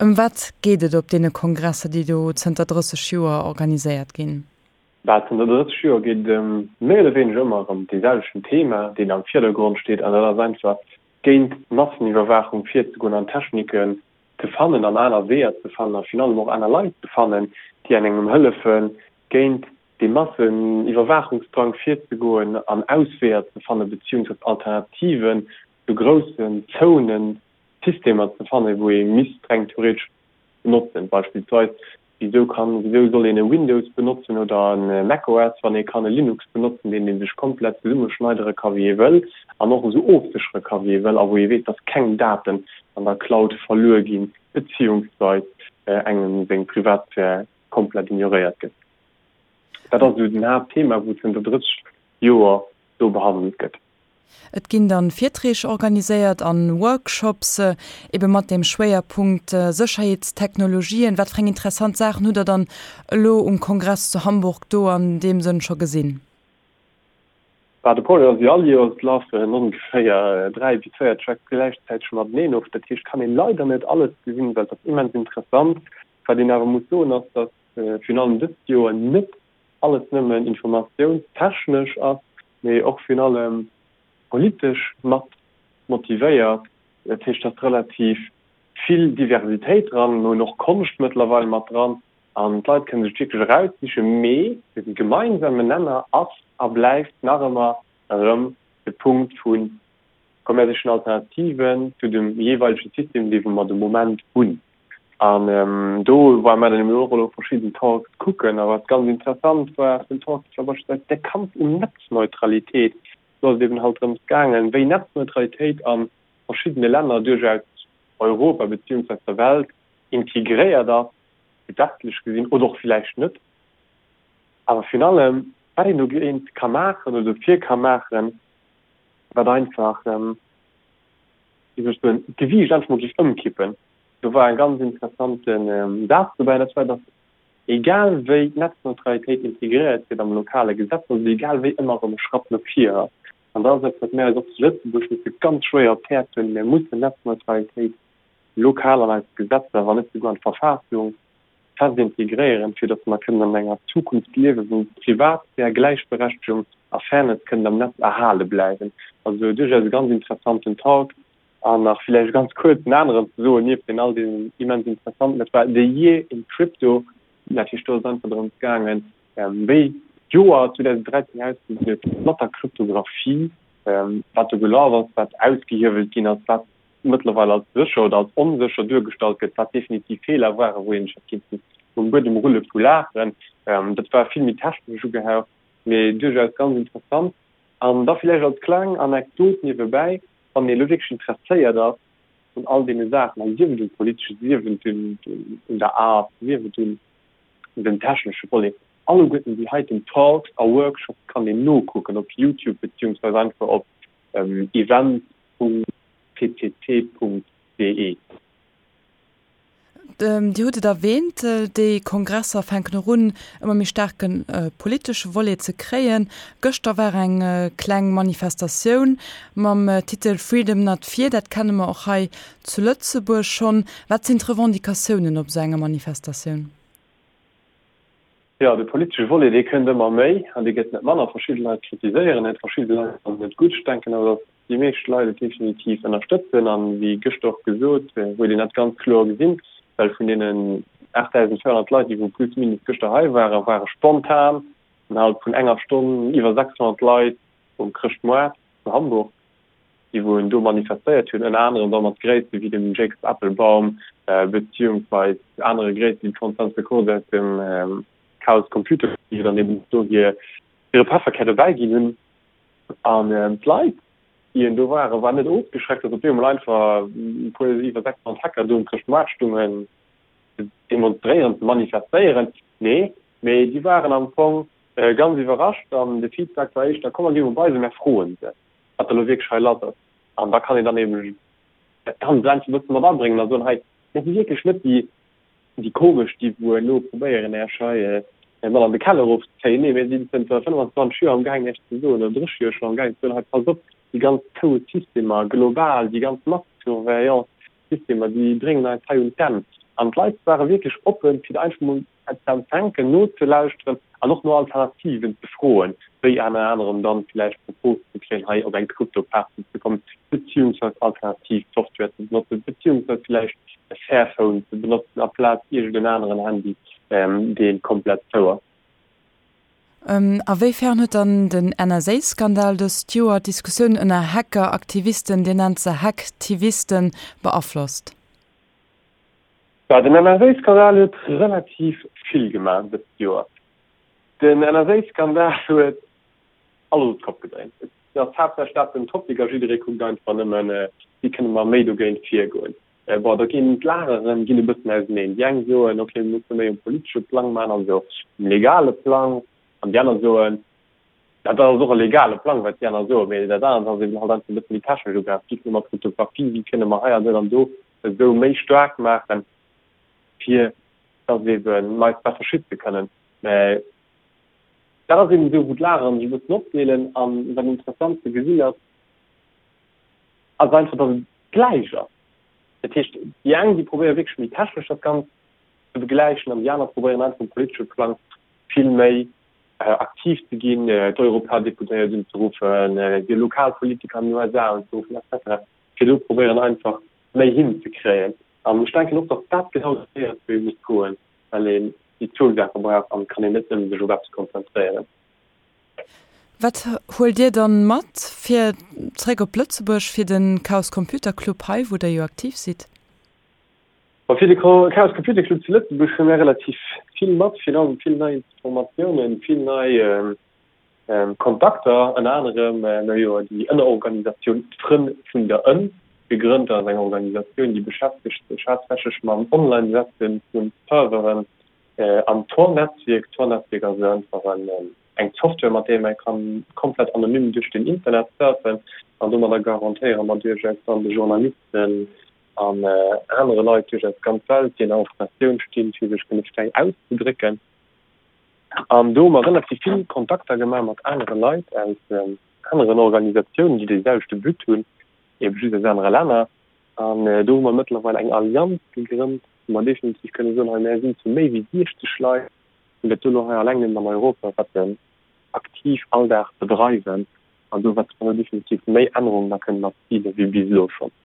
Ëm wat geet et op deene Kongresser, déi do zënter 30 Joer organiséiert ginn? Bah, zënter 30 Joer geet et ëm méi oder wéineger ëmmer erëm dee selwechten Thema, deen am Virdergrond steet, an dat ass einfach géint d'Masseniwwerwaachung virzegoen an Techniken ze fannen an aner Weeër ze fannen a virun allem och aner Leit ze fannen, déi engem hëllefen, géint dee Masseniwwerwaachungsdrang virzegoen an Ausweeër ze fannen, beziehungsweise Alternativen zu groussen Zonen, Systemer ze fannen, wou ee misst reng theoretesch benotzen. Beispillsweis, wisou kann, wisou soll een e Windows benotzen oder e macOS, wann ee kann e Linux benotzen, deen ee sech komplett zesummeschneidere ka wéi ee wëll an och esou ofséchere ka wéi ee wëll a wou ee weess, dass keng Daten an der Cloud verluer ginn, beziehungsweis engem seng Privatsphär komplett ignoréiert gëtt. Dat ass esou den Haaptthema, wou zënter 30 Joer do behandelt gëtt. Et ginn dann Virträg organiséiert an Workshops, ebe mat dem Schwéierpunkt Sécherheetstechnologien. Wat fir eng interessant Saachen hutt der dann elo um Kongress zu Hamburg do an deem Sënn scho gesinn? Bah, de Projet ass wéi all Joers, et lafen ongeféier 3 bis 4 Tracks gläichzäiteg mateneen of. Dat heescht, kann een leider net alles gesinn, well et ass immens interessant. Wat een awer muss soen ass, datt virun allem dëst Joer net alles nëmmen informatiounstechnesch ass, mee och virun allem politesch mat motivéiert. Dat heescht, et ass relativ vill Diversitéit dran. Mir hunn och Konscht mëttlerweil mat dran an d'Leit kënne sech wierklech eraussichen. Mee de gemeinsamen Nenner ass a bleift nach ëmmer erëm de Punkt vu Komm mär sichen Alternativen zu dem jeeweilege System, dee wou mer de Moment hunn. An do ware mär dann eben och elo verschidden Talks kucken. A wat ganz interessant war vun Talks, war beispillsweis der Kampf um Netzneutralitéit. Do ass et eben halt drëms gaangen, wéi Netzneutralitéit a verschiddene Länner duerchaus Europa beziehungsweis der Welt integréiert ass, gesetzlech gesinn oder och villäicht net. Awer virun allem, wat een dogéint ka maachen oder dofir ka maachen, wat einfach, wéi soll ech soen, d'Gewiicht einfach mol géif ëmkippen. Do war e ganz interessante Saz dobäi, an dat war, datt egal wéi d'Netzneutralitéit integréiert gëtt am lokale Gesetz, datt et egal wéi ëmmer erëm e Schratt no vir ass. An dat ass eppes, wat mir eis och zu Lëtzebuerg musse ganz schwéier op d'Häerz huelen. Mir mussen d'Netzneutralitéit lokal an eis Gesetzer, wann net souguer an d'Verfassung, fest integréieren, fir datt mer kënnen an enger Zukunft liewen, wou Privatsphär, Gläichberechtegung a Fairness kënnen am Netz erhale bleiwen. Also duerchaus e ganz interessanten Talk. An nach villäicht ganz kuerz en aneren ze soen, nieft deenen all deenen immens interessanten, dat war The Year in Crypto. Dat heescht, do ass et einfach drëms gaangen, wéi d'Joer 2013 ausgesinn huet mat der Kryptographie, wat do gelaf ass, wat ausgehiewelt ginn ass, wat mëttlerweil als sécher oder als onsécher duergestallt gëtt, wat definitiv Feeler waren, wou een sech hätt kinnten um Buedem rulle vu Laachen. Dat war vill méi technesch ugehaucht, mee duerchaus ganz interessant. An da villäicht als kleng Anekdot niewebäi, wann ee elo wierklech interesséiert ass un all deene Saachen, a sief et um politeschen, sief et un der Art, sief et un dem technesche Volet, alleguerten déi heiten Talks a Workshops kann een nokucken op Youtube beziehungsweise einfach op events. ppc.de. Dir hutt et erwähnt, déi Kongresser fänken och un, ëmmer méi staarke politesche Volet ze kréien. Gëschter war eng kleng Manifestatioun mam Titel Freedom not Fear. Dat kenne mer och hei zu Lëtzebuerg schonn. Wat sinn d'Revendicatiounen op esou enger Manifestatioun? Jo, de politesche Volet, dee kënnt ëmmer méi an dee gëtt net manner. Verschidde Leit kritiséieren et, verschidde Leit fannen et gutt. Ech denken awer, datt déi meescht Leit et definitiv ënnerstëtzen. An wéi gëschter och gesot, huet een dat ganz kloer gesinn, well vun deenen 8.400 Leit, déi wou plus minus gëschter hei waren, ware spontan innerhalb vun enger Stonn iwwer 600 Leit um Chrëschtmoart zu Hamburg. déi wou en do manifestéiert hunn, ënner anerem da mat Gréisste wéi dem Jacob Appelbaum beziehungsweis anere Gréisste wéi d'Constance Kurz aus dem Chaos Computer Club, déi dann eben do hir hire Pefferkär dobäi ginn hunn. An d'Leit, déi en do waren, waren net ofgeschreckt, datt op eemol einfach e puer iwwer 600 Hacker do um Chrëschtmoart stungen, ze demonstréieren, ze manifestéieren. Nee, mee déi waren am Fong ganz iwwerrascht an de Feedback war éischter, Komm mer gi mol bei se, mer froen se. wat elo wierklech hei lass ass. An da kann een dann eben dat Ganzt einfach e bësse mat abréngen a soen, hei, mir si wierklech net déi, déi komesch, déi wou elo probéieren, Iech hei mat an de Keller erofzezéien. Nee, mir sinn zënter 25 Joer amgaangen, Iech ze soen, oder 30 Joer schonn amgaangen ze soen, hei, passt op, déi ganz zou Systemer global, déi ganz Masssurveillance-Systemer, déi bréngen eis hei un d'Enn. An d'Leit ware wierklech oppen, fir einfach mol ze empfänken, nozelauschteren an och no Alternativen ze froen, wéi enner anerem dann villäicht d'Propos ze kréien, hei op eng Krypto-Party ze kommen, beziehungsweis alternativ Software ze benotzen, beziehungsweis villäicht e Fairphone ze benotzen aplaz iergend en aneren Handy, dee komplett zou ass. A wéi fern huet dann den NSA-Skandal dëst Joer d'Diskussioun ënner Hacker-Aktivisten, Dir nennt se Hacktivisten, beaflosst? Bah, den NSA-Skandal huet relativ vill gemaach dëst Joer. Den NSA-Skandal huet alles op d'Kopp gedréint. Et ass haaptsächlech dat den Topic a jidderee kuckt einfach nëmmen, wéi kënne mer méi dogéint virgoen. Bon, da ginn d'Lageren ginn e bëssen auseneen. Déi eng soen, ok, mir musse méi um politesche Plang maachen, also um legale Plang, an déi aner soen, dat ass och e legale Plang, wat déi aner soen, mee dat anert ass eben halt einfach e bësse méi technesch ugehat. Wéi kënne mer Kryptographie, wéi kënne mer hei an do an do esou méi staark maachen, fir dass eben mer eis besser schütze kënnen. Mä dat ass eben esou, wou d'Lageren sech e bëssen opdeelen. An wat interessant ze gesinn ass, ass einfach, dass et gläich ass. Dat heescht, déi eng, déi probéiere wierklech méi technesch dat Ganzt ze begläichen an déi aner probéieren einfach um politesche Plang vill méi aktiv ze ginn, d'Europadeputéiert unzeruffen, déi lokal Politiker an den USA unzeruffen et cetera, fir do probéieren einfach méi hinzekréien. An ech denken och, datt dat genau de Wee ass, wou ee muss goen, well een déi zwou Saache brauch an et kann een net nëmme sech op eppes konzentréieren. Wat huelt Dir dann mat fir zeréck op Lëtzebuerg fir den Chaos Computer Club hei, wou der jo aktiv sidd? Ma fir de Chaos Computer Club zu Lëtzebuerg hu mir relativ vill mat, virun allem vill nei Informatiounen, vill nei Kontakter, ënner anerem mir jo déi Ënnerorganisatioun D'Frënn vun der Ënn gegrënnt. Dat ass eng Organisatioun, déi beschäftegt sech haaptsächlech mam Online-Setzen vu Serveren Am Tor-Netzwierk, Tor-Netzwierk ass einfach eng Software, mat där ee kann komplett anonym duerch den Internet surfen an domadder garantéiere mer duerchaus dann de Journalisten an anere Leit duerchaus d'ganz Welt, déi an der Informatioun stinn, fir sech kënne fräi auszedrécken. An do hu mer relativ vill Kontakter gemaach mat anere Leit aus aneren Organisatiounen, déi dee selwechte But hunn, ebe just aus anere Länner. An do hu mer mëttlerweil eng Allianz gegrënnt, wou mer definitiv kënne soen, hei mär sinn zu méi wéi 60 Leit, déi dat do elo hei alleng nëmmen an Europa wäerten aktiv all Dag bedreiwen an do wäerte mer elo definitiv méi Ännerungen da kënnen erzilen, wéi bis elo schonn.